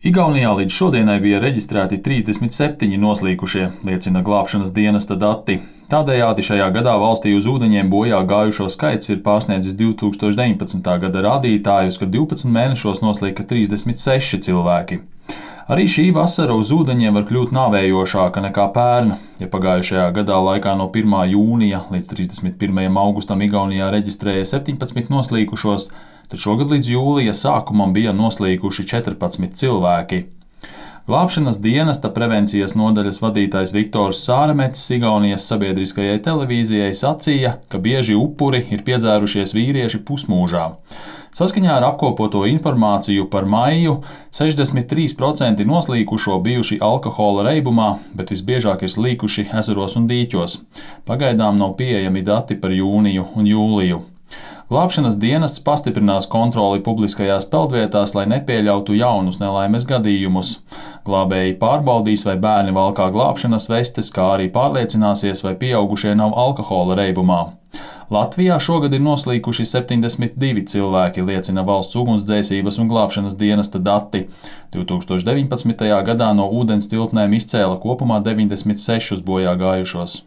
Igaunijā līdz šodienai bija reģistrēti 37 noslīkušie, liecina glābšanas dienesta dati. Tādējādi šajā gadā valstī uz ūdeņiem bojā gājušo skaits ir pārsniedzis 2019. gada rādītājus, kad 12 mēnešos noslīka 36 cilvēki. Arī šī vasara uz ūdeņiem var kļūt nāvējošāka nekā pērn. Ja pagājušajā gadā laikā no 1. jūnija līdz 31. augustam Igaunijā reģistrēja 17 noslīkušos, tad šogad līdz jūlija sākumam bija noslīkuši 14 cilvēki. Glābšanas dienesta prevencijas nodaļas vadītājs Viktors Sāremets Igaunijas sabiedriskajai televīzijai sacīja, ka bieži upuri ir piedzērušies vīrieši pusmūžā. Saskaņā ar apkopoto informāciju par maiju 63% noslīkušo bijuši alkohola reibumā, bet visbiežāk ir slīkuši ezeros un dīķos. Pagaidām nav pieejami dati par jūniju un jūliju. Glābšanas dienests pastiprinās kontroli publiskajās peldvietās, lai nepieļautu jaunus nelaimes gadījumus. Glābēji pārbaudīs, vai bērni valkā glābšanas vestes, kā arī pārliecināsies, vai pieaugušie nav alkohola reibumā. Latvijā šogad ir noslīkuši 72 cilvēki, liecina Valsts ugunsdzēsības un glābšanas dienesta dati. 2019. gadā no ūdens tilpnēm izcēla kopumā 96 bojā gājušos.